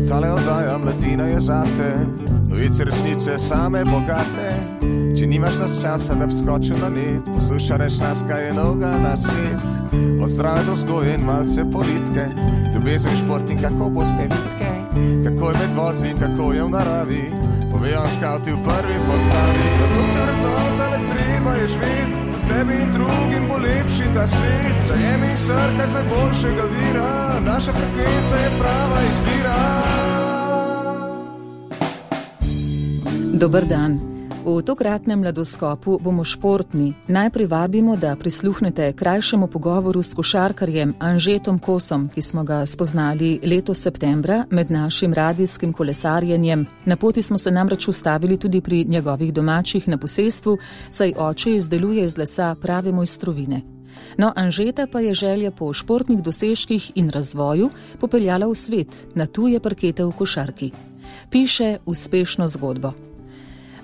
Tale oddaja Mladina je zate, novice resnice same bogate. Če nimaš nas časa, da bi skočil na net, poslušaj nas, kaj je novega na svet. Od zdrave do vzgoje in malce politike, ljubezen, šport in kako boste vitke, kako je med vozi in kako je v naravi, povejo skavti v prvi postavi. Zato ste vrednota, le treba je živeti, tebi in drugim bo lepši ta svet. Zajemi srka z najboljšega vira, naša frekvenca je prava izbira. Dober dan. V tokratnem Mladoskopu bomo športni. Najprej vabimo, da prisluhnete krajšemu pogovoru s košarkarjem Anžetom Kosom, ki smo ga spoznali letos septembra med našim radijskim kolesarjenjem. Na poti smo se namreč ustavili tudi pri njegovih domačih na posestvu, saj oče izdeluje iz lesa prave mojstrovine. No, Anžeta pa je želja po športnih dosežkih in razvoju popeljala v svet, na tuje parkete v košarki. Piše uspešno zgodbo.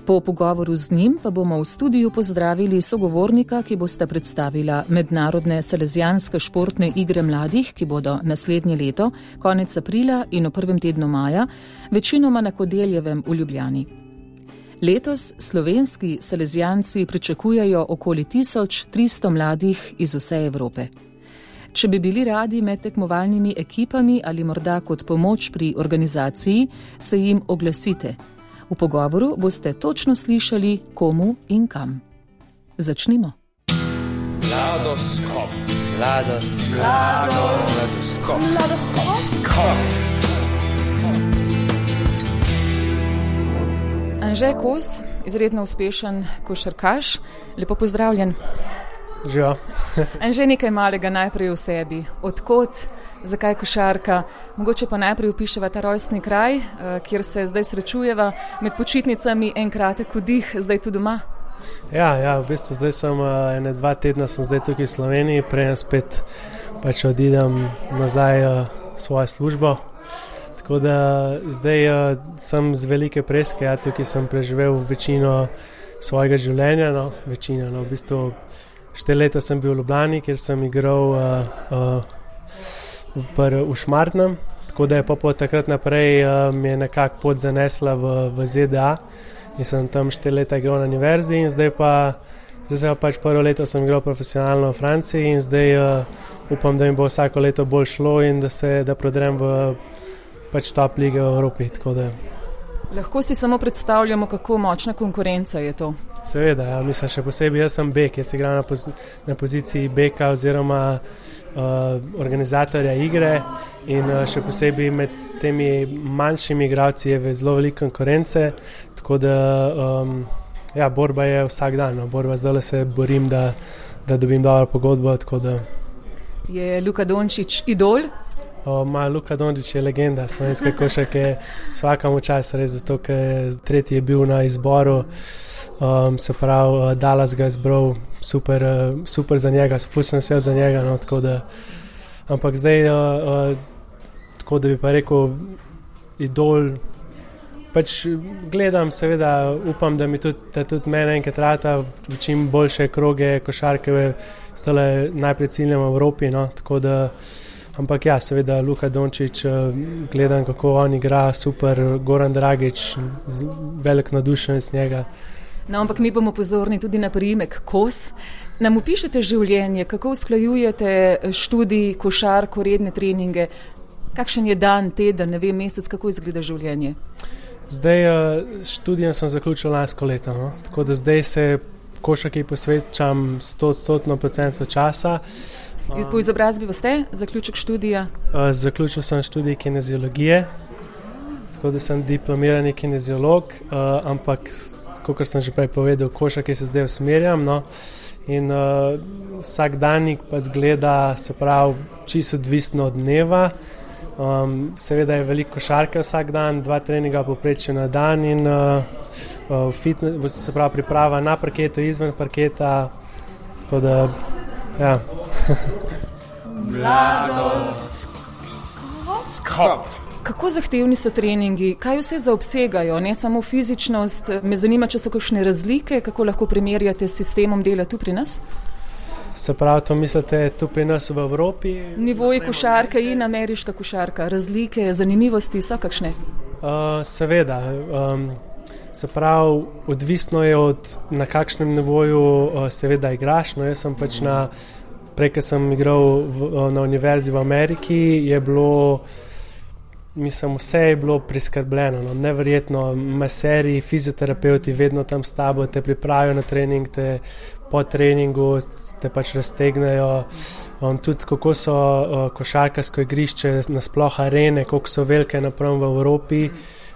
Po pogovoru z njim pa bomo v studiu pozdravili sogovornika, ki bosta predstavila mednarodne salezijanske športne igre mladih, ki bodo naslednje leto, konec aprila in v prvem tednu maja, večinoma na Kodeljevem v Ljubljani. Letos slovenski salezijanci pričakujejo okoli 1300 mladih iz vse Evrope. Če bi bili radi med tekmovalnimi ekipami ali morda kot pomoč pri organizaciji, se jim oglasite. V pogovoru boste točno slišali, komu in kam. Začnimo. Mladoskop. Anže Kos, izredno uspešen košarkaš. Lepo pozdravljen. Živijo. Anže, nekaj malega najprej v sebi. Odkot, zakaj košarka? Mogoče pa najprej opiševa ta rojstni kraj, kjer se zdaj srečujeva med počitnicami, en kratek vdih, zdaj tu doma. Ja, v bistvu zdaj sem 1-2 tedna sem zdaj tukaj v Sloveniji, prej spet pač odidem nazaj v svojo službo. Tako da zdaj sem z velike preske, tukaj sem preživel večino svojega življenja, v bistvu 4 leta sem bil v Ljubljani, kjer sem igral v Šmartnem, tako da je pa takrat naprej mi je nekako pot zanesla v ZDA in sem tam 4 leta igral na univerzi in zdaj se pač prvo leto sem igral profesionalno v Franciji in zdaj upam, da mi bo vsako leto bolj šlo in da prodrem v pač top lige v Evropi, tako da. Lahko si samo predstavljamo, kako močna konkurenca je to. Seveda, ja, mislim, še posebej jaz sem bek, jaz igram na poziciji beka oziroma organizatorja igre in še posebej med temi manjšimi igralci je zelo veliko konkurence, tako da borba je vsak dan, zdaj se borim, da dobim dobro pogodbo, tako da. Je Luka Dončić idol? Luka Dončić je legenda slovenske košarke, vsakemu čas res, zato ker tretji je bil na izboru. Se pravi, Dallas ga je izbral, super za njega, spustim se za njega, tako da, ampak zdaj, tako da bi pa rekel, idol, pač gledam, seveda, upam, da mi tudi mene enkrat rata v čim boljše kroge košarke, zdaj najprej ciljam v Evropi, tako da, ampak ja, seveda, Luka Dončić, gledam, kako on igra, super, Goran Dragić, velik nadušen z njega. No, ampak mi bomo pozorni tudi na priimek Kos. Nam opišete življenje, kako usklajujete študij, košarko, redne treninge? Kakšen je dan, teden, mesec, kako izgleda življenje? Zdaj študijem sem zaključil lansko leto, tako da zdaj se košarki posvečam 100% časa. Po izobrazbi ste zaključek študija? Zaključil sem študij kineziologije, tako da sem diplomirani kineziolog, ampak kakor sem že prej povedal, košarki se zdaj usmerjam, in vsak danik pa zgleda, se pravi, čisto odvisno od dneva. Seveda je veliko košarke vsak dan, 2 treninga povprečno na dan in fitness, se pravi, priprava na parketu, izven parketa, tako da, ja. Mladoskop. Kako zahtevni so treningi, kaj vse zaobsegajo, ne samo fizičnost, me zanima, če so kakšne razlike, kako lahko primerjate s sistemom dela tu pri nas? Se pravi, to mislite tu pri nas v Evropi? Nivoji košarke in ameriška košarka, razlike, zanimivosti so kakšne? Seveda, se pravi, odvisno je na kakšnem nivoju seveda igraš, no jaz sem pač prej, ko sem igral na univerzi v Ameriki, je bilo, mislim, vse je bilo priskrbljeno, no, neverjetno, maseri, fizioterapeuti vedno tam s tabo, te pripravijo na trening, te po treningu te pač raztegnejo, tudi kako so košarkarsko igrišče, nasploh arene, koliko so velike napram v Evropi,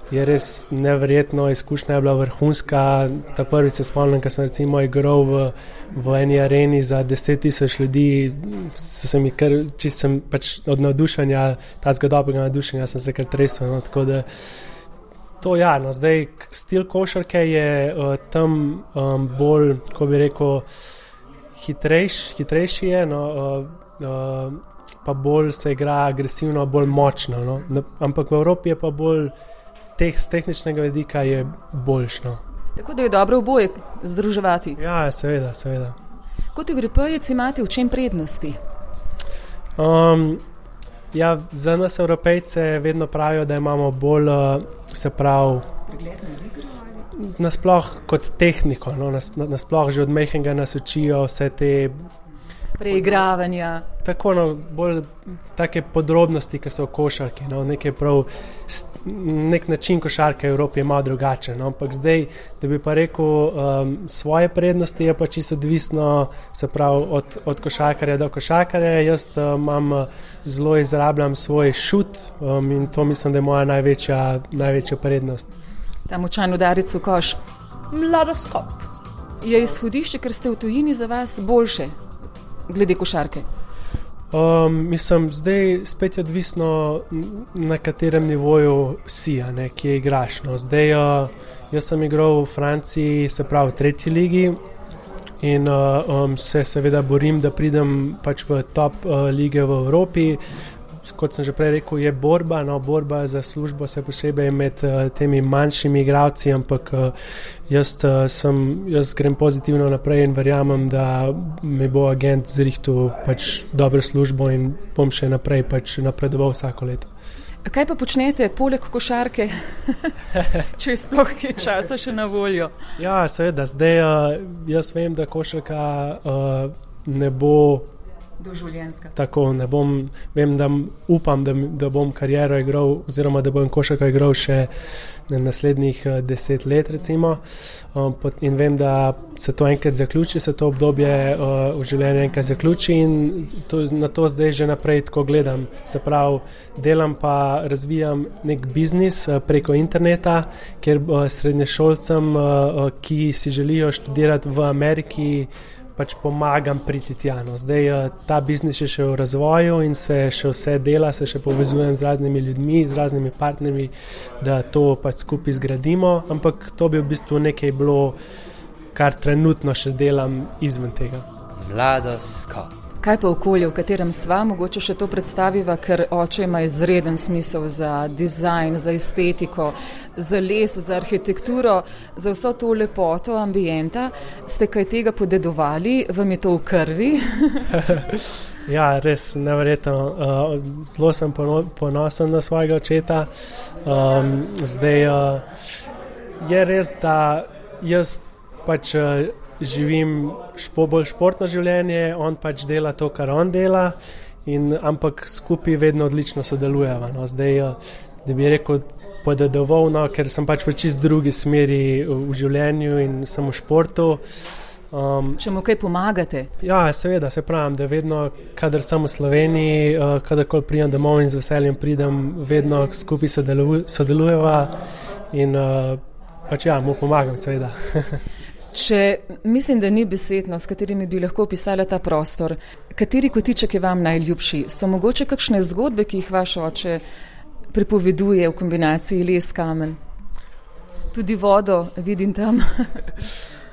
je res neverjetno, izkušnja je bila vrhunska. Ta prvič se spomnim, ko sem recimo igral v eni areni za 10,000 ljudi, sem pač od navdušenja, tazga dobrega navdušenja sem se kar tresel, no, tako da to no, zdaj stil košarke je tam bolj, ko bi rekel, hitrejši je, no, pa bolj se igra agresivno, bolj močno, no, ampak v Evropi je pa bolj z tehničnega vidika je boljšno. Tako da je dobro oboje združevati. Ja, seveda. Kot Evropejec imate v čem prednosti? Ja, za nas Evropejce vedno pravijo, da imamo bolj, se pravi, nasploh kot tehniko, no, nasploh že od majhnega nas učijo vse te preigravanja. Tako, no, bolj take podrobnosti, ki so v košarki, no, nek način košarke v Evropi je malo drugačen, no, ampak zdaj, da bi pa rekel, svoje prednosti je pa čisto odvisno, se pravi, od košarkarja do košarkarja. Jaz zelo izrabljam svoj šut in to mislim, da je moja največja prednost. Ta močan udarec v koš. Mladoskop. Je izhodišče, ker ste v tujini, za vas boljše glede košarke? Mislim, zdaj spet je odvisno, na katerem nivoju si, ne, kje igraš. No. Zdaj, jaz sem igral v Franciji, se pravi v 3. ligi in se seveda borim, da pridem pač v top lige v Evropi. Kot sem že prej rekel, je borba, no, borba za službo se posebej med temi manjšimi igralci, ampak jaz grem pozitivno naprej in verjamem, da mi bo agent zrihtal pač dobro službo in bom še naprej pač napredoval vsako leto. Kaj pa počnete poleg košarke, če je sploh kaj časa še na voljo? Ja, seveda, zdaj jaz vem, da košarka ne bo doživljenjska. Tako, upam, da bom kariero igral, oziroma da bom košarko igral še naslednjih 10 let, recimo. In vem, da se to enkrat zaključi, se to obdobje v življenju enkrat zaključi in na to zdaj že naprej tako gledam. Se pravi, delam pa, razvijam nek biznis preko interneta, kjer srednješolcem, ki si želijo študirati v Ameriki, pač pomagam priti tja. No. Zdaj ta biznis je še v razvoju in se še vse dela, se še povezujem z raznimi ljudmi, z raznimi partnerji, da to pač skupaj zgradimo, ampak to bi v bistvu nekaj bilo, kar trenutno še delam izven tega. Mladoskop. Kaj pa okolje, v katerem sva, mogoče še to predstaviva, ker oče ima izreden smisel za dizajn, za estetiko, za les, za arhitekturo, za vso to lepoto ambienta. Ste kaj tega podedovali? Vam je to v krvi? Ja, res neverjetno. Zelo sem ponosen na svojega očeta. Zdaj je res, da jaz pač živim bolj športno življenje, on pač dela to, kar on dela, ampak skupaj vedno odlično sodelujeva. No. Zdaj, da bi rekel, podedoval, no, ker sem pač v čist drugi smeri v življenju in sem v športu. Če mu kaj pomagate? Ja, seveda, se pravim, da vedno, kadar sem v Sloveniji, kadarkoli pridem domov in z veseljem pridem, vedno skupaj sodelujeva in pač ja, mu pomagam, seveda. Mislim, da ni besedno, s katerimi bi lahko opisala ta prostor. Kateri kotiček je vam najljubši? So mogoče kakšne zgodbe, ki jih vaš oče pripoveduje v kombinaciji les, kamen? Tudi vodo vidim tam.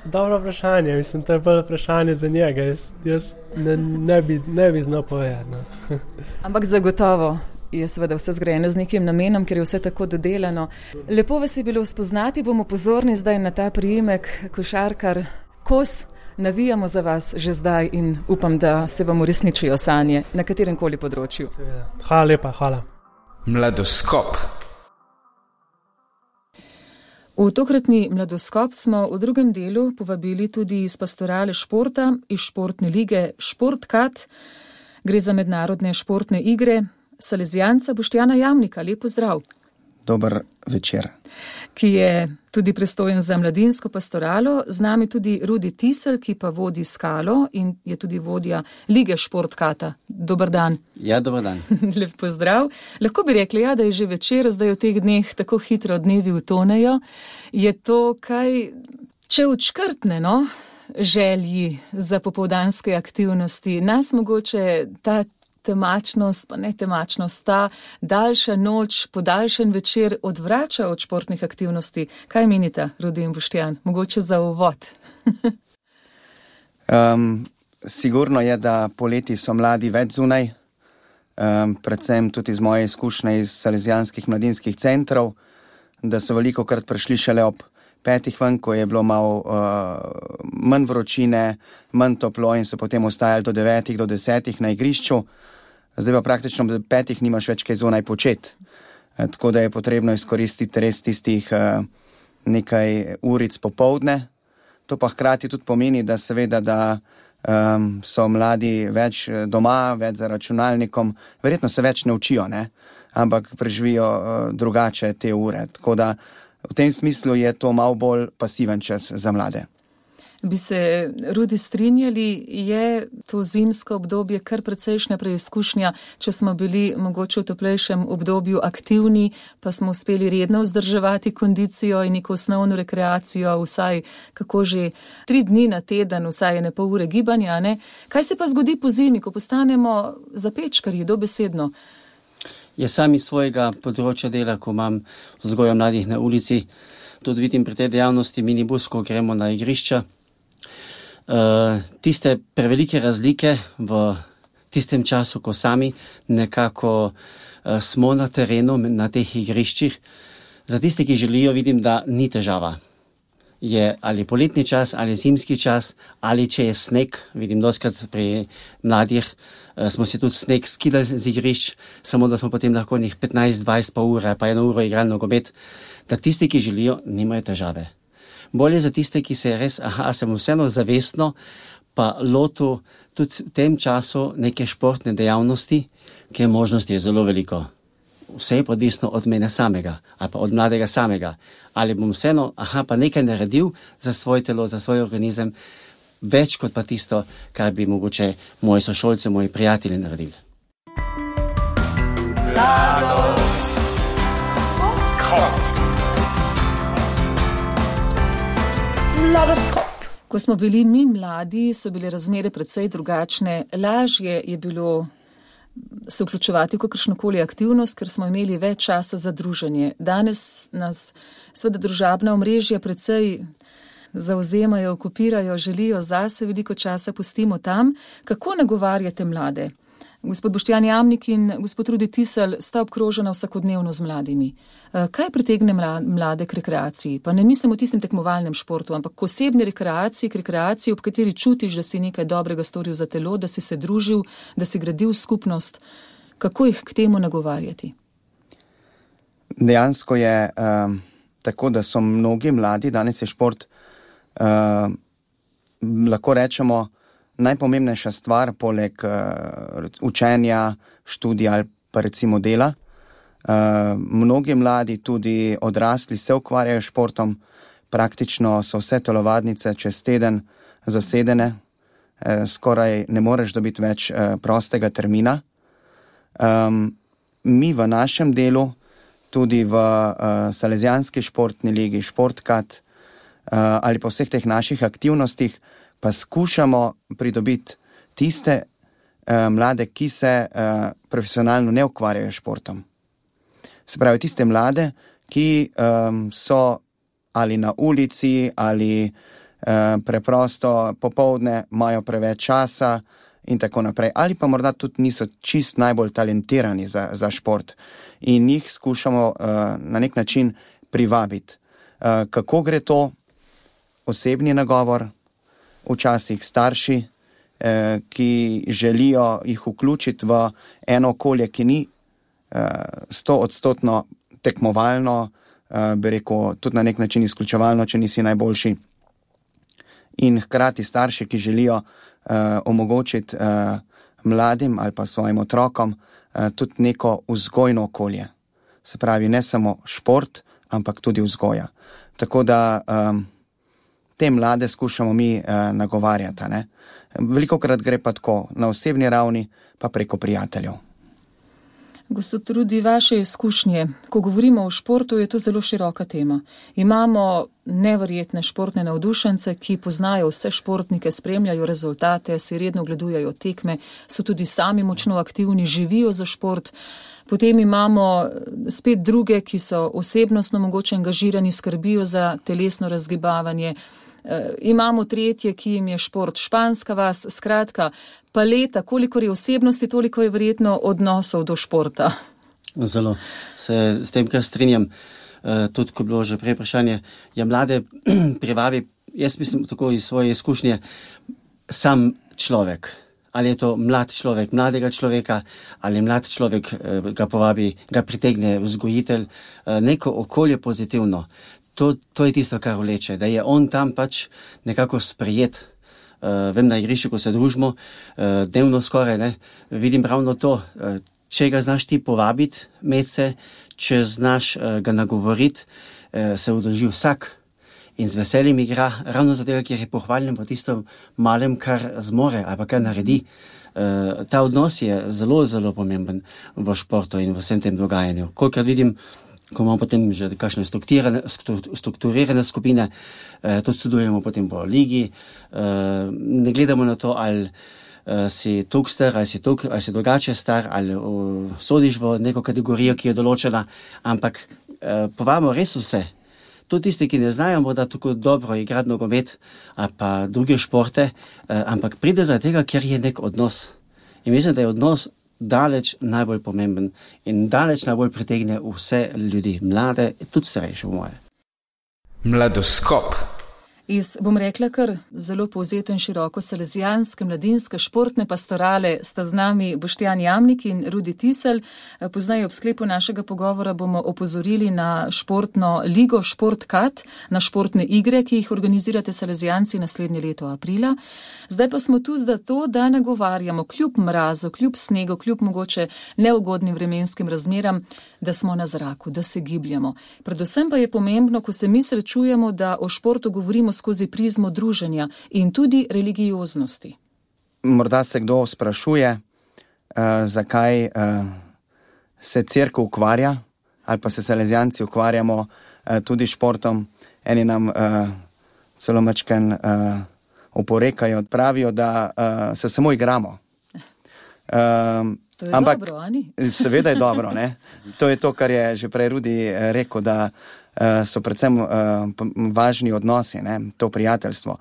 Dobro vprašanje, mislim, to je bolj vprašanje za njega. Jaz ne bi znal povedati. No. Ampak zagotovo je seveda vse zgrajeno z nekim namenom, ker je vse tako dodelano. Lepo vas je bilo spoznati, bomo pozorni zdaj na ta priimek košarkar Kos. Navijamo za vas že zdaj in upam, da se vam uresničijo sanje na katerem koli področju. Hvala lepa, hvala. Mladoskop. V tokratni Mladoskop smo v drugem delu povabili tudi iz pastorale športa, iz športne lige Športkat. Gre za mednarodne športne igre. Salezijanca Boštjana Jamnika, lep pozdrav. Dober večer. Ki je tudi pristojen za mladinsko pastoralo, z nami tudi Rudi Tisel, ki pa vodi Skalo in je tudi vodja lige Športkata. Dober dan. Ja, dober dan. Lep pozdrav. Lahko bi rekli, ja, da je že večer, zdaj v teh dneh tako hitro dnevi utonejo. Je to kaj, če odškrtne, želji za popoldanske aktivnosti, nas mogoče ta temačnost, pa ne temačnost, ta daljša noč, podaljšen večer odvrača od športnih aktivnosti. Kaj menite, Rudi in Boštjan? Mogoče za uvod. Sigurno je, da poleti so mladi več zunaj, predvsem tudi iz moje izkušnje iz salezijanskih mladinskih centrov, da so velikokrat prišli šele ob 5 ven, ko je bilo malo manj vročine, manj toplo in so potem ostajali do 9, do 10 na igrišču. Zdaj pa praktično do 5 nimaš več kaj zunaj početi. Tako da je potrebno izkoristiti res tistih nekaj uric popoldne. To pa hkrati tudi pomeni, da seveda, da so mladi več doma, več za računalnikom, verjetno se več ne učijo, ampak preživijo drugače te ure. Tako da v tem smislu je to malo bolj pasiven čas za mlade. Bi se, Rudi, strinjali, je to zimsko obdobje kar precejšnja preizkušnja, če smo bili mogoče v toplejšem obdobju aktivni, pa smo uspeli redno vzdrževati kondicijo in neko osnovno rekreacijo, vsaj kako že 3 dni na teden, vsaj 1,5 ure gibanja, Kaj se pa zgodi po zimi, ko postanemo zapečkarji, dobesedno? Jaz sam iz svojega področja dela, ko imam vzgojo mladih na ulici, tudi vidim pri tej dejavnosti minibus, ko gremo na igrišča. Tiste prevelike razlike v tistem času, ko sami nekako smo na terenu, na teh igriščih. Za tiste, ki želijo, vidim, da ni težava. Je ali poletni čas, ali zimski čas, ali če je sneg, vidim doskrat pri mladih, smo si tudi sneg skidali z igrišč, samo da smo potem lahko njih 15-20 pa ure, pa 1 uro igrali nogomet, da tisti, ki želijo, nimajo težave. Bolje za tiste, ki se res, sem vseeno zavestno, pa lotu tudi v tem času neke športne dejavnosti, ker možnosti je zelo veliko. Vse je odvisno od mene samega, ali pa od mladega samega. Ali bom vseeno, pa nekaj naredil za svoje telo, za svoj organizem, več kot pa tisto, kar bi mogoče moji sošolci, moji prijatelji naredili. Mladoskop. Ko smo bili mi mladi, so bile razmere precej drugačne. Lažje je bilo se vključevati v kakršnokoli aktivnost, ker smo imeli več časa za druženje. Danes nas seveda družabna omrežja precej zavzemajo, okupirajo, želijo zase, veliko časa pustimo tam. Kako nagovarjate mlade? Gospod Boštjan Jamnik in gospod Rudi Tisel sta obkrožena vsakodnevno z mladimi. Kaj pritegne mlade k rekreaciji? Pa ne mislim v tistem tekmovalnem športu, ampak k osebni rekreaciji, ob kateri čutiš, da si nekaj dobrega storil za telo, da si se družil, da si gradil skupnost. Kako jih k temu nagovarjati? Dejansko je tako, da so mnogi mladi, danes je šport, lahko rečemo, najpomembnejša stvar poleg učenja, študija ali pa recimo dela. Mnogi mladi, tudi odrasli, se ukvarjajo športom, praktično so vse telovadnice čez teden zasedene, skoraj ne moreš dobiti več prostega termina. Mi v našem delu, tudi v Salezijanski športni ligi, Športkat ali pa vseh teh naših aktivnostih, pa skušamo pridobiti tiste mlade, ki se profesionalno ne ukvarjajo športom. Se pravi, tiste mlade, ki so ali na ulici, ali preprosto popoldne imajo preveč časa in tako naprej. Ali pa morda tudi niso čist najbolj talentirani za šport in jih skušamo na nek način privabiti. Kako gre to? Osebni nagovor, včasih starši, ki želijo jih vključiti v eno okolje, ki ni 100% tekmovalno, bi rekel, tudi na nek način izključevalno, če nisi najboljši. In hkrati starši, ki želijo omogočiti mladim ali pa svojim otrokom tudi neko vzgojno okolje. Se pravi, ne samo šport, ampak tudi vzgoja. Tako da te mlade skušamo mi nagovarjati. Ne? Velikokrat gre pa tako na osebni ravni, pa preko prijateljev. Gospod Rudi, vaše izkušnje, ko govorimo o športu, je to zelo široka tema. Imamo neverjetne športne navdušence, ki poznajo vse športnike, spremljajo rezultate, si redno gledujejo tekme, so tudi sami močno aktivni, živijo za šport. Potem imamo spet druge, ki so osebnostno mogoče angažirani, skrbijo za telesno razgibavanje. Imamo tretje, ki jim je šport španska vas, skratka, paleta, kolikor je osebnosti, toliko je verjetno odnosov do športa. Zelo se s tem, kar strinjam, tudi ko je bilo že prej vprašanje, je mlade privabi, jaz mislim tako iz svoje izkušnje, sam človek. Ali je to mlad človek, mladega človeka, ali mlad človek ga povabi, ga pritegne vzgojitelj, neko okolje pozitivno. To je tisto, kar vleče, da je on tam pač nekako sprejet. Vem, na igrišču, ko se družimo, dnevno skoraj, ne, vidim ravno to. Če ga znaš ti povabiti medse, če znaš ga nagovoriti, se udeleži vsak in z veseljem igra, ravno zato, ker je pohvaljen po tistem malem, kar zmore ali pa kar naredi. Ta odnos je zelo, zelo pomemben v športu in v vsem tem dogajanju. Kolikor vidim, ko imamo potem že kakšne strukturirane skupine, tudi sodelujemo potem po ligi, ne gledamo na to, ali si toliko star, ali si drugače star, ali sodiš v neko kategorijo, ki je določena, ampak povabimo res vse. Tudi tisti, ki ne znajo morda tako dobro igrati nogomet ali pa druge športe, ampak pride zaradi tega, ker je nek odnos. In mislim, da je odnos daleč najbolj pomemben in daleč najbolj pritegne vse ljudi, mlade, tudi starejše v moje. Mladoskop. Iz, bom rekla, kar zelo povzeto in široko salezijanske, mladinske, športne pastorale sta z nami Boštjan Jamnik in Rudi Tiselj. Poznaj ob sklepu našega pogovora bomo opozorili na športno ligo Športkat, na športne igre, ki jih organizirate salezijanci naslednje leto aprila. Zdaj pa smo tu zato, da nagovarjamo kljub mrazu, kljub snegu, kljub mogoče neugodnim vremenskim razmeram, da smo na zraku, da se gibljamo. Predvsem pa je pomembno, ko se mi srečujemo, da o športu govorimo skozi prizmo druženja in tudi religioznosti. Morda se kdo sprašuje, zakaj se cerkev ukvarja ali pa se salezijanci ukvarjamo tudi športom. Eni nam celo mačken oporekajo, pravijo, da se samo igramo. To je dobro, ani? Seveda je dobro, ne? To je to, kar je že prej Rudi rekel, da so predvsem važni odnosi, ne? To prijateljstvo.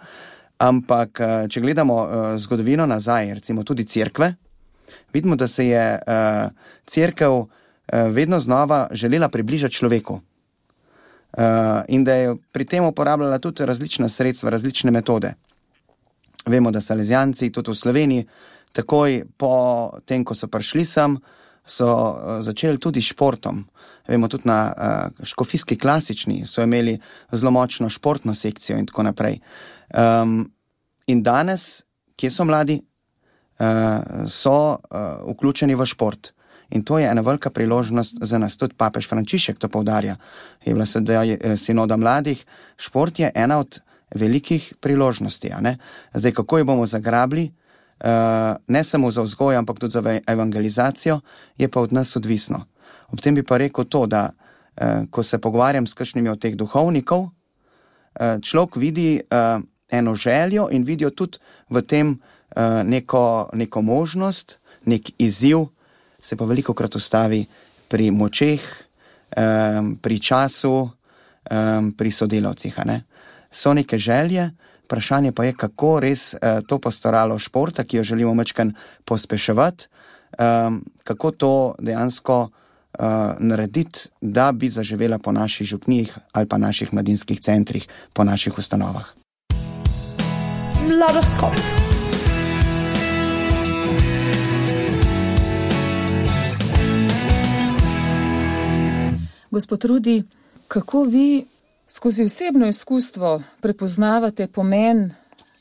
Ampak, če gledamo zgodovino nazaj, recimo tudi cerkve, vidimo, da se je cerkev vedno znova želela približati človeku. In da je pri tem uporabljala tudi različna sredstva, različne metode. Vemo, da salezijanci tudi v Sloveniji takoj po tem, ko so prišli sem, so začeli tudi športom. Vemo, tudi na škofijski klasični so imeli zelo močno športno sekcijo in tako naprej. In danes, kje so mladi, so vključeni v šport. In to je ena velika priložnost za nas. Tudi papež Frančišek to poudarja. Je bila sedaj sinoda mladih. Šport je ena od velikih priložnosti. A ne? Zdaj, kako jo bomo zagrabili, ne samo za vzgojo, ampak tudi za evangelizacijo, je pa od nas odvisno. Ob tem bi pa rekel to, da ko se pogovarjam s kakšnimi od teh duhovnikov, človek vidi eno željo in vidijo tudi v tem neko možnost, nek izziv, se pa velikokrat ustavi pri močeh, pri času, pri sodelavcih. so neke želje, vprašanje pa je, kako res to postaralo športa, ki jo želimo majčkeno pospeševati, kako to dejansko narediti, da bi zaživela po naših župnijih ali pa naših mladinskih centrih, po naših ustanovah. Mladoskop. Gospod Rudi, kako vi skozi osebno izkustvo prepoznavate pomen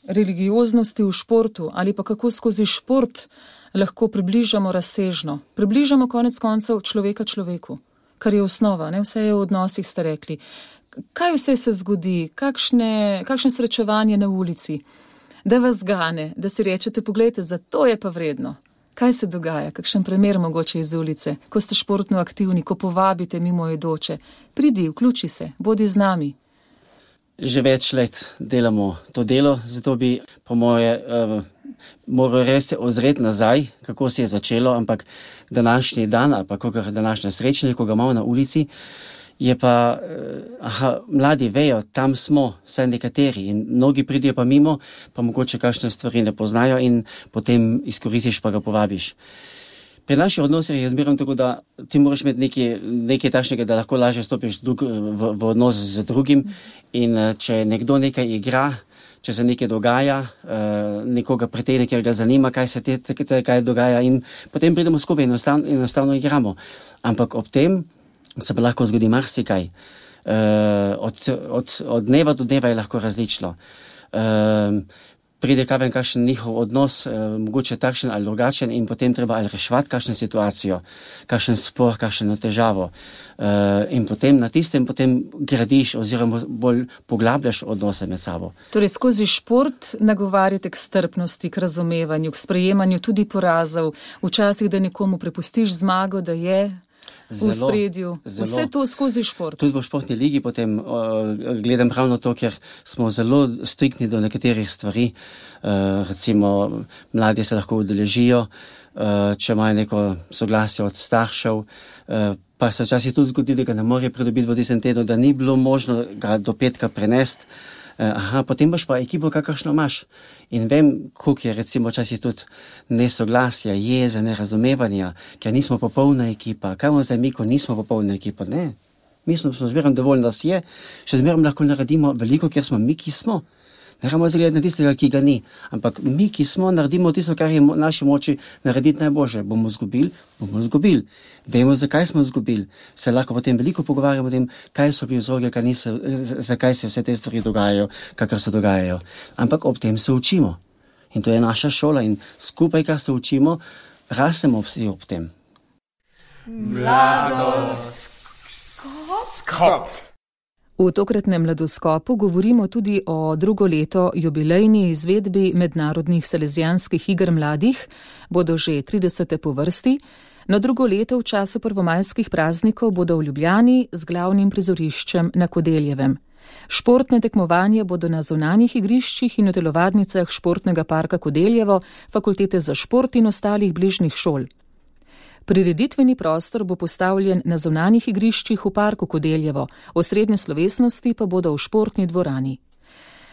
religioznosti v športu ali pa kako skozi šport lahko približamo razsežno, približamo konec koncev človeka človeku, kar je osnova, ne? Vse je v odnosih, ste rekli. Kaj vse se zgodi, kakšne srečevanje na ulici, da vas gane, da si rečete, poglejte, za to je pa vredno. Kaj se dogaja, kakšen primer mogoče iz ulice, ko ste športno aktivni, ko povabite mimoidoče, pridi, vključi se, bodi z nami. Že več let delamo to delo, zato bi po moje moral res se ozreti nazaj, kako se je začelo, ampak današnji dan, ali pa kakor današnja srečanje, ko ga imamo na ulici, je pa, mladi vejo, tam smo, vsaj nekateri, in mnogi pridijo pa mimo, pa mogoče kakšne stvari ne poznajo in potem izkoristiš pa ga povabiš. Pri naših odnosih je zmerno tako, da ti moraš imeti nekaj takšnega, da lahko lažje stopiš v odnos z drugim in če nekdo nekaj igra, če se nekaj dogaja, nekoga pritegne, ker ga zanima, kaj dogaja in potem pridemo skupaj in enostavno igramo. Ampak ob tem se pa lahko zgodi marsikaj. Od dneva do dneva je lahko različno. Pride kakšen njihov odnos, mogoče takšen ali drugačen in potem treba ali reševati kakšno situacijo, kakšen spor, kakšno težavo. In potem na tistem potem gradiš oziroma bolj poglabljaš odnose med sabo. Torej skozi šport nagovarjate k strpnosti, k razumevanju, k sprejemanju tudi porazov, včasih, da nekomu prepustiš zmago, da je v spredju. Vse to skozi šport. Tudi v športni ligi potem gledam ravno to, ker smo zelo striktni do nekaterih stvari. Recimo, mladi se lahko udeležijo, če imajo neko soglasje od staršev, pa se včasih tudi zgodi, da ga ne more pridobiti v tistem tednu, da ni bilo možno ga do petka prenesti. Potem boš pa ekipo, kakršno imaš. In vem, koliko je recimo včasih tudi nesoglasja, jeze, nerazumevanja, ker nismo popolna ekipa. Kaj bomo zdaj mi, ko nismo popolna ekipa? Ne. Mi smo zmerno dovolj, da si je, še zmerno lahko naredimo veliko, ker smo mi, ki smo. Ne moramo zgledati na tistega, ki ga ni. Ampak mi, ki smo, naredimo tisto, kar je v naši moči narediti najboljše. Bomo izgubili. Vemo, zakaj smo izgubili. Se lahko potem veliko pogovarjamo o tem, kaj so bili vzroki, zakaj se vse te stvari dogajajo, kakor se dogajajo. Ampak ob tem se učimo. In to je naša šola in skupaj, kar se učimo, rastemo vsi ob tem. Mladoskop. V tokratnem Mladoskopu govorimo tudi o drugo leto jubilejni izvedbi mednarodnih salezijanskih iger mladih, bodo že 30. po vrsti, no drugo leto v času prvomajskih praznikov bodo v Ljubljani z glavnim prizoriščem na Kodeljevem. Športne tekmovanje bodo na zunanjih igriščih in v telovadnicah Športnega parka Kodeljevo, Fakultete za šport in ostalih bližnjih šol. Prireditveni prostor bo postavljen na zunanjih igriščih v parku Kodeljevo, osrednje slovesnosti pa bodo v športni dvorani.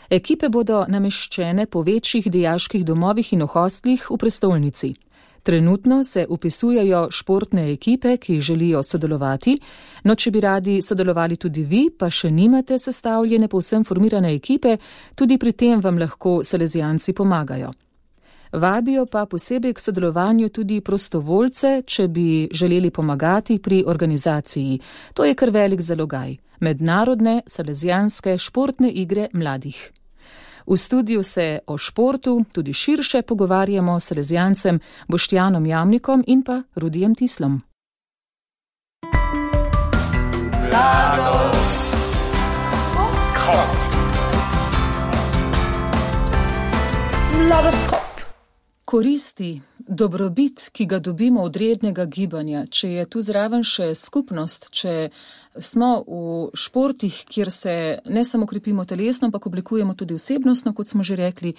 Ekipe bodo nameščene po večjih dijaških domovih in v hostlih v prestolnici. Trenutno se upisujejo športne ekipe, ki želijo sodelovati, no če bi radi sodelovali tudi vi, pa še nimate sestavljene povsem formirane ekipe, tudi pri tem vam lahko salezijanci pomagajo. Vabijo pa posebej k sodelovanju tudi prostovoljce, če bi želeli pomagati pri organizaciji. To je kar velik zalogaj. Mednarodne salezijanske športne igre mladih. V studiu se o športu tudi širše pogovarjamo s salezijancem Boštjanom Jamnikom in pa Rudijem Tislom. Mladoskop. Koristi, dobrobit, ki ga dobimo od rednega gibanja, če je tu zraven še skupnost, če smo v športih, kjer se ne samo krepimo telesno, ampak oblikujemo tudi osebnostno, kot smo že rekli,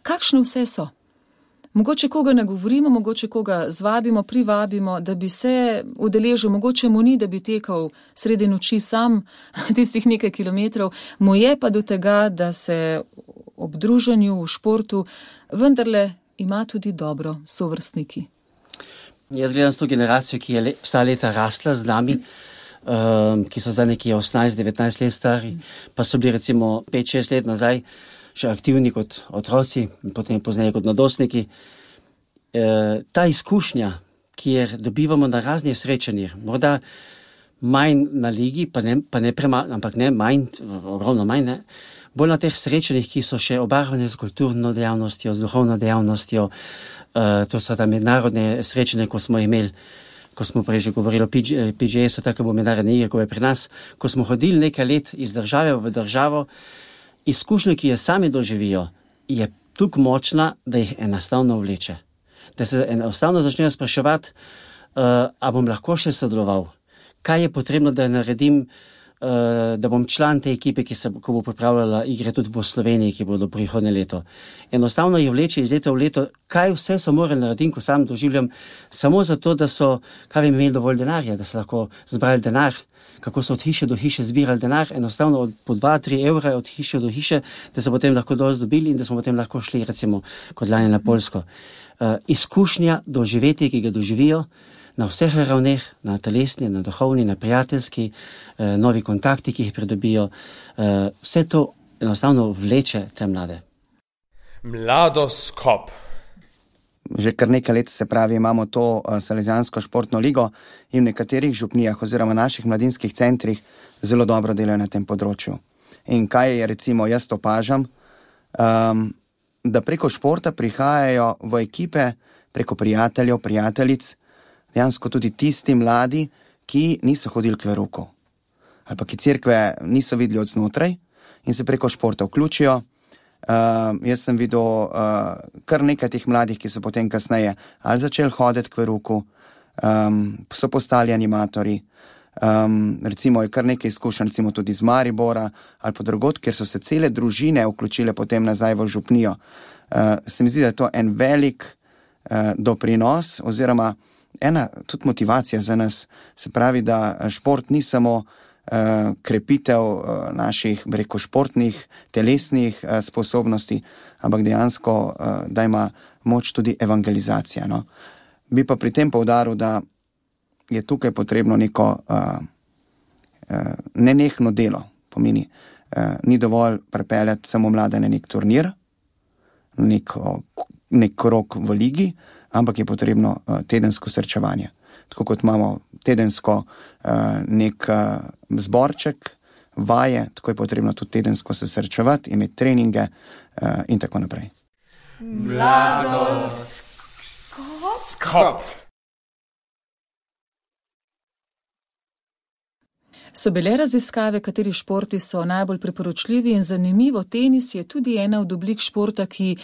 kakšne vse so? Mogoče koga nagovorimo, mogoče koga zvabimo, privabimo, da bi se udeležil, mogoče mu ni, da bi tekal sredi noči sam tistih nekaj kilometrov, mu je pa do tega, da se ob druženju v športu vendarle ima tudi dobro sovrstniki. Jaz gledam s to generacijo, ki je vsa leta rasla z nami, ki so zdaj neki 18-19 let stari, pa so bili recimo 5-6 let nazaj še aktivni kot otroci, potem pozneje kot mladostniki. Ta izkušnja, kjer dobivamo na raznih srečanjih, morda manj na ligi, pa ne premalo, ampak ne manj, ogromno manj, ne, bolj na teh srečanjih, ki so še obarvane z kulturno dejavnostjo, z duhovno dejavnostjo, to so ta mednarodne srečanje, ko smo imeli, ko smo prej že govorili o PGA, so tako mednarodne igre, ko je pri nas, ko smo hodili nekaj let iz države v državo, izkušnja, ki jo sami doživijo, je tako močna, da jih enostavno vleče. Da se enostavno začnejo spraševati, a bom lahko še sodeloval, kaj je potrebno, da naredim, da bom član te ekipe, ko bo pripravljala igre tudi v Sloveniji, ki bodo prihodnje leto. Enostavno jih vleče iz leta v leto, kaj vse so morali narediti, ko sam doživljam, samo zato, da so, kaj bi imeli dovolj denarja, da so lahko zbrali denar, kako so od hiše do hiše zbirali denar, enostavno po 2-3 evra od hiše do hiše, da so potem lahko dosti dobili in da smo potem lahko šli, recimo, kot lani na Poljsko. Izkušnja doživeti, ki ga doživijo na vseh ravneh, na telesni, na duhovni, na prijateljski, novi kontakti, ki jih pridobijo, vse to enostavno vleče te mlade. Mladoskop. Že kar nekaj let, se pravi, imamo to Salezijansko športno ligo in v nekaterih župnijah oziroma naših mladinskih centrih zelo dobro delajo na tem področju. In kaj je, recimo, jaz opažam, da preko športa prihajajo v ekipe, preko prijateljev, prijateljic, dejansko tudi tisti mladi, ki niso hodili k veruku ali pa ki cerkve niso videli od znotraj in se preko športa vključijo. Jaz sem videl kar nekaj teh mladih, ki so potem kasneje ali začeli hoditi k veruku, so postali animatorji, recimo je kar nekaj izkušenj, recimo tudi iz Maribora ali pa drugod, kjer so se cele družine vključile potem nazaj v župnijo. Se mi zdi, da je to en velik doprinos oziroma ena tudi motivacija za nas. Se pravi, da šport ni samo krepitev naših, reko, športnih, telesnih sposobnosti, ampak dejansko, da ima moč tudi evangelizacija. No? Bi pa pri tem poudaril, da je tukaj potrebno neko nenehno delo. Pomeni, ni dovolj pripeljati samo mlade na nek turnir, nek krog v ligi, ampak je potrebno tedensko srečevanje. Tako kot imamo tedensko nek zborček, vaje, tako je potrebno tudi tedensko se srečevati, imeti treninge in tako naprej. Mladoskop. So bile raziskave, kateri športi so najbolj priporočljivi in zanimivo, tenis je tudi ena od oblik športa, ki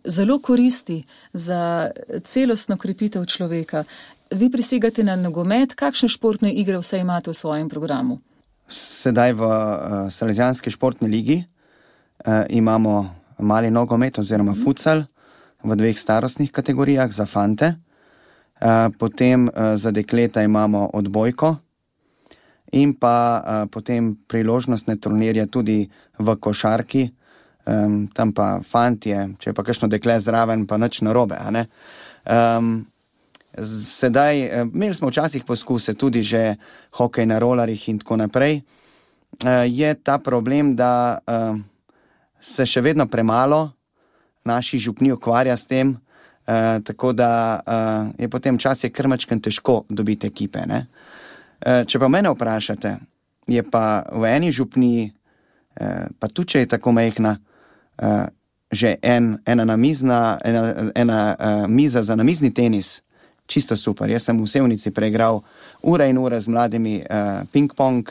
zelo koristi za celostno krepitev človeka. Vi prisegate na nogomet, kakšne športne igre vse imate v svojem programu? Sedaj v Salezijanski športni ligi imamo mali nogomet oziroma futsal v 2 starostnih kategorijah za fante, potem za dekleta imamo odbojko in pa potem priložnostne turnirje tudi v košarki, tam pa fantje, če je pa kakšno dekle zraven, pa nič narobe, a ne? Sedaj, imeli smo včasih poskuse tudi že hokej na rolarjih in tako naprej. Je ta problem, da se še vedno premalo naši župni ukvarja s tem, tako da je potem včasih kar majčkeno težko dobiti ekipe, ne? Če pa mene vprašate, je pa v eni župniji, pa tudi če je tako majhna, že ena miza za namizni tenis, čisto super. Jaz sem v Sevnici preigral ure in ure z mladimi ping-pong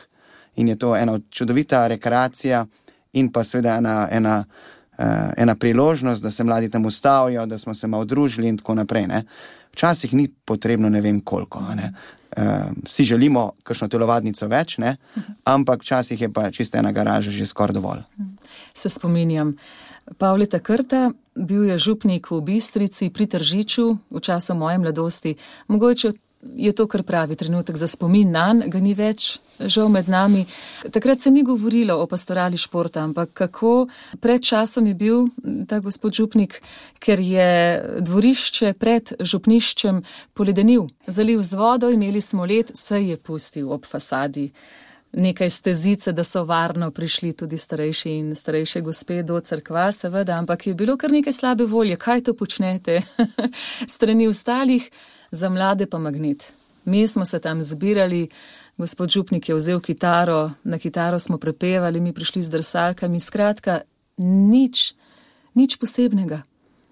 in je to ena čudovita rekreacija in pa seveda ena ena priložnost, da se mladi tam ustavijo, da smo se malo družili in tako naprej. Ne. Včasih ni potrebno ne vem koliko. Ne. Vsi želimo kakšno telovadnico več, ne, ampak včasih je pa čisto ena garaža že skoraj dovolj. Se spominjam. Pavleta Krta, bil je župnik v Bistrici pri Tržiču v času moje mladosti. Mogoče je to kar pravi trenutek za spomin nanj, ga ni več žal med nami. Takrat se ni govorilo o pastorali športa, ampak kako pred časom je bil ta gospod župnik, ker je dvorišče pred župniščem poledenil, zalil z vodo, imeli smo led, se je pustil ob fasadi nekaj stezice, da so varno prišli tudi starejši in starejše gospe do cerkva, seveda, ampak je bilo kar nekaj slabe volje, kaj to počnete strani ostalih, za mlade pa magnet. Mi smo se tam zbirali, gospod župnik je vzel kitaro, na kitaro smo prepevali, mi prišli z drsalkami, skratka, nič posebnega.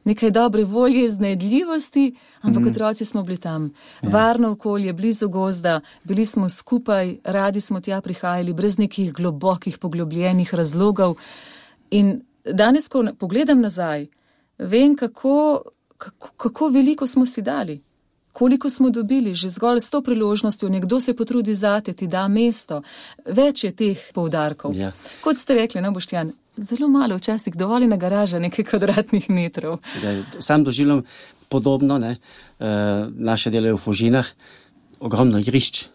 Nekaj dobre volje, iznajdljivosti, ampak otroci smo bili tam. Varno okolje, blizu gozda, bili smo skupaj, radi smo tja prihajali, brez nekih globokih, poglobljenih razlogov. In danes, ko pogledam nazaj, vem, kako veliko smo si dali. Koliko smo dobili, že zgolj s to priložnostjo, nekdo se potrudi zate, ti da mesto. Več je teh poudarkov. Ja. Kot ste rekli, no, Boštjan, zelo malo včasih, dovoljena garaža nekaj kvadratnih metrov. Ja, sam doživljam podobno, ne, naše delo je v Fužinah, ogromno igrišč,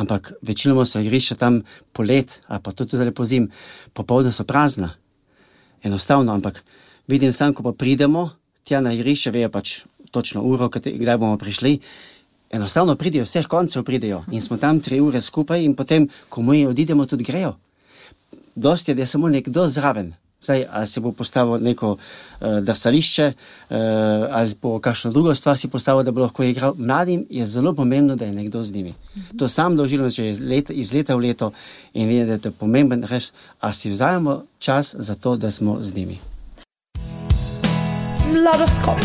ampak večinoma so igrišča tam polet, a pa tudi zdaj po zim, popoldne so prazna. Enostavno, ampak vidim sam, ko pa pridemo tja na igrišče, vejo pač točno uro, kdaj bomo prišli, enostavno pridejo, vseh koncev pridejo in smo tam 3 ure skupaj in potem, ko mi odidemo, tudi grejo. Dosti je, da je samo nekdo zraven. Zdaj, ali se bo postavil neko drsališče, ali bo kakšno drugo stvar si postavil, da bo lahko igral. Mladim je zelo pomembno, da je nekdo z njimi. To sam doživljam že iz leta v leto in vidim, da je to pomemben res, a si vzajemo čas za to, da smo z njimi. Mladoskop.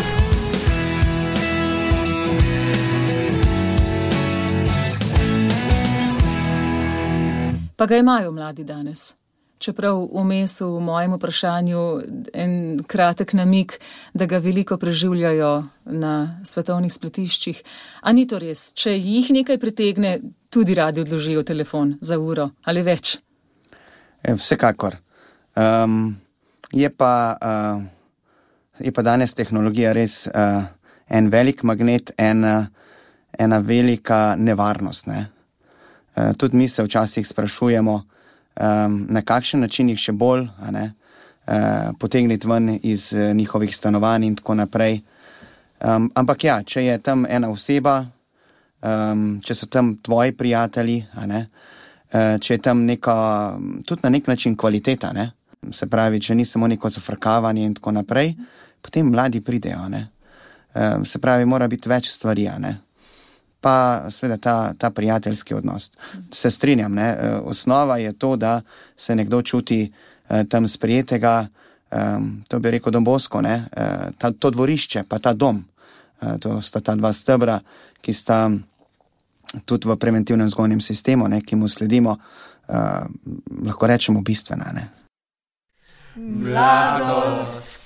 Pa ga imajo mladi danes. Čeprav vmes v mojem vprašanju en kratek namig, da ga veliko preživljajo na svetovnih spletiščih. A ni to res? Če jih nekaj pritegne, tudi radi odložijo telefon za uro ali več? Vsekakor. Je pa danes tehnologija res en velik magnet, ena velika nevarnost, ne? Tudi mi se včasih sprašujemo, na kakšen način jih še bolj potegniti ven iz njihovih stanovanj in tako naprej. Ampak ja, če je tam ena oseba, če so tam tvoji prijatelji, če je tam neka, tudi na nek način kvaliteta, ne? Se pravi, če ni samo neko zafrkavanje in tako naprej, potem mladi pridejo. Se pravi, mora biti več stvari, pa seveda ta prijateljski odnos. Se strinjam, ne? Osnova je to, da se nekdo čuti tam sprijetega, to bi rekel Don Bosco, ne? To dvorišče, pa ta dom, to sta ta 2 stebra, ki sta tudi v preventivnem vzgojnem sistemu, ne, ki mu sledimo, lahko rečemo bistvena. Ne? Mladoskop.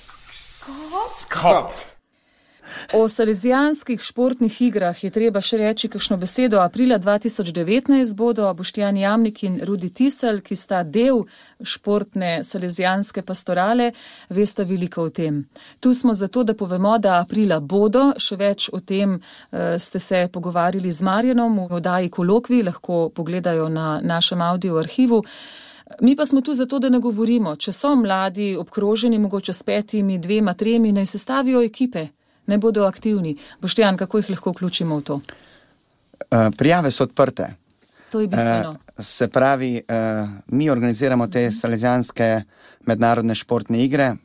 O Salezijanskih športnih igrah je treba še reči kakšno besedo. Aprila 2019 bodo Boštjan Jamnik in Rudi Tisel, ki sta del športne Salezijanske pastorale, vesta veliko o tem. Tu smo zato, da povemo, da aprila bodo, še več o tem ste se pogovarjali z Marjanom v oddaji Kolokvi, lahko pogledajo na našem audio arhivu. Mi pa smo tu zato, da ne govorimo, če so mladi obkroženi mogoče s 5, 2, 3, naj sestavijo ekipe. Ne bodo aktivni. Boštjan, kako jih lahko vključimo v to? Prijave so odprte. To je bistveno. Se pravi, mi organiziramo te Salezijanske mednarodne športne igre,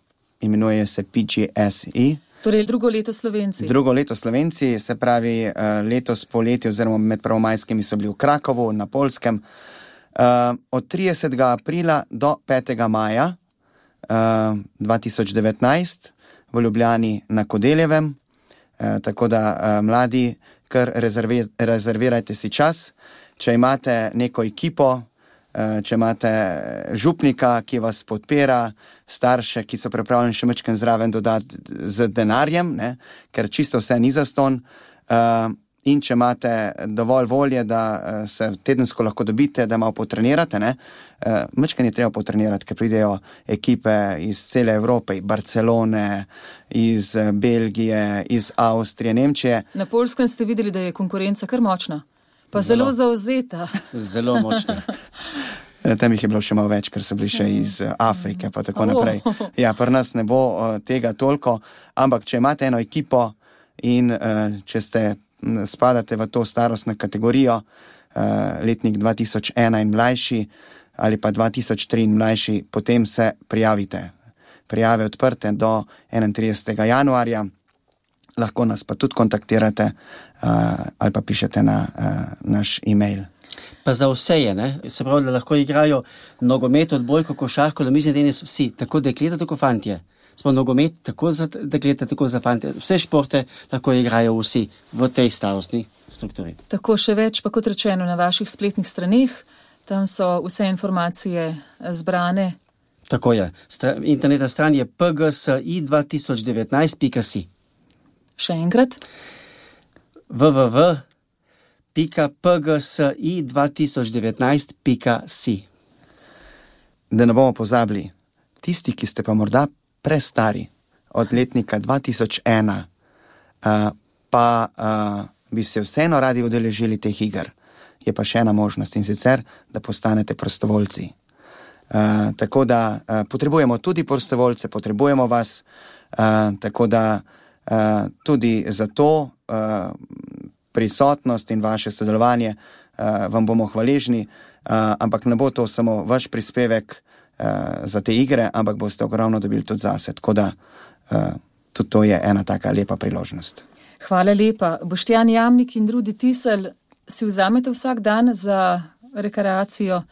imenuje se PGSI. Torej drugo leto Slovenci. Drugo leto Slovenci, se pravi, letos poleti oziroma med prvomajskimi so bili v Krakovu, na Poljskem. Od 30. aprila do 5. maja 2019 v Ljubljani na Kodeljevem, tako da mladi, kar rezervirajte si čas. Če imate neko ekipo, če imate župnika, ki vas podpira, starše, ki so pripravljeni še mečken zraven dodati z denarjem, ne, ker čisto vse ni zastonj, in če imate dovolj volje, da se tedensko lahko dobite, da malo potrenirate, ne, mečken je treba potrenirati, ker pridejo ekipe iz cele Evrope, iz Barcelone, iz Belgije, iz Avstrije, Nemčije. Na Poljskem ste videli, da je konkurenca kar močna. Pa zelo zauzeta. Zelo močna. Tam jih je bilo še malo več, ker so bili še iz Afrike, pa tako naprej. Ja, pri nas ne bo tega toliko, ampak če imate eno ekipo in če spadate v to starostno kategorijo, letnik 2001 in mlajši ali pa 2003 in mlajši, potem se prijavite. Prijave odprte do 31. januarja. Lahko nas pa tudi kontaktirate ali pa pišete na naš e-mail. Pa za vse je, ne? Se pravi, da lahko igrajo nogomet, odbojko, košarko, namizni tenis, vsi, tako dekleta, tako fantje. Smo nogomet tako za dekleta, tako za fantje. Vse športe lahko igrajo vsi v tej starostni strukturi. Tako še več, pa kot rečeno, na vaših spletnih straneh, tam so vse informacije zbrane. Tako je. Internetna stran je pgsi2019.si. Še enkrat? www.pgsi2019.si. Da ne bomo pozabili, tisti, ki ste pa morda prestari od letnika 2001, pa bi se vseeno radi udeležili teh iger, je pa še ena možnost, in sicer, da postanete prostovoljci. Tako da potrebujemo tudi prostovoljce, potrebujemo vas, tako da tudi za to prisotnost in vaše sodelovanje vam bomo hvaležni, ampak ne bo to samo vaš prispevek za te igre, ampak boste ogromno dobili tudi zase, tako da tudi to je ena taka lepa priložnost. Hvala lepa. Boštjan Jamnik in Rudi Tisel, si vzamete vsak dan za rekreacijo,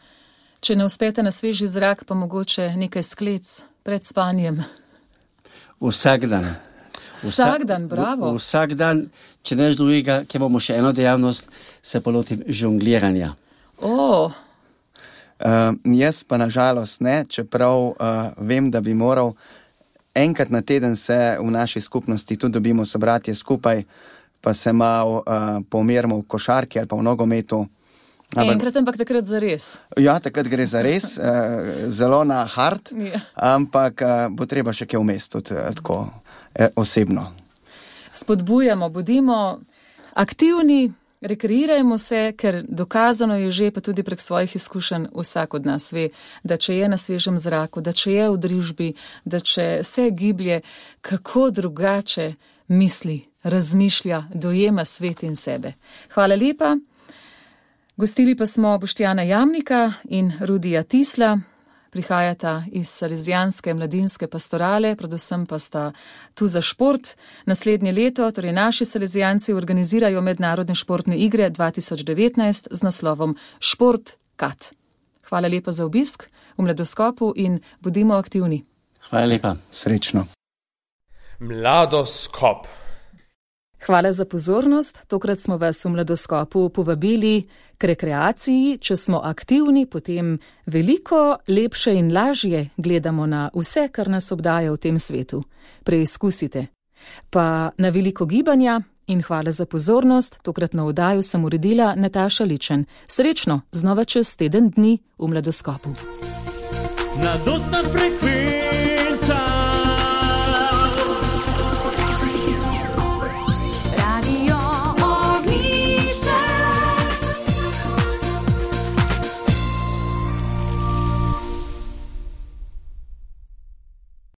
če ne uspete na sveži zrak, pa mogoče nekaj sklec pred spanjem? Vsak dan. Vsak dan, bravo. Vsak dan, če neš drugega, ker bomo še eno dejavnost, se polotim žongliranja. Jaz pa nažalost ne, čeprav vem, da bi moral. Enkrat na teden se v naši skupnosti tudi dobimo sobratje skupaj, pa se malo pomerimo v košarki ali pa v nogometu. Enkrat, ampak takrat zares. Ja, takrat gre zares, zelo na hard, ampak bo treba še kaj vmes tudi tako osebno. Spodbujamo, bodimo aktivni, rekreirajmo se, ker dokazano je že, pa tudi prek svojih izkušenj vsak od nas ve, da če je na svežem zraku, da če je v družbi, da če se giblje, kako drugače misli, razmišlja, dojema svet in sebe. Hvala lepa. Gostili pa smo Boštjana Jamnika in Rudija Tisla. Prihajata iz Salezijanske mladinske pastorale, predvsem pa sta tu za šport. Naslednje leto, torej naši Salezijanci, organizirajo mednarodne športne igre 2019 z naslovom Šport Kat. Hvala lepa za obisk v Mladoskopu in bodimo aktivni. Hvala lepa. Srečno. Mladoskop. Hvala za pozornost. Tokrat smo vas v Mladoskopu povabili k rekreaciji. Če smo aktivni, potem veliko lepše in lažje gledamo na vse, kar nas obdaja v tem svetu. Preizkusite. Pa na veliko gibanja in hvala za pozornost. Tokratno oddajo sem uredila Nataša Ličen. Srečno, znova čez teden dni v Mladoskopu. Mladostna frekvenca.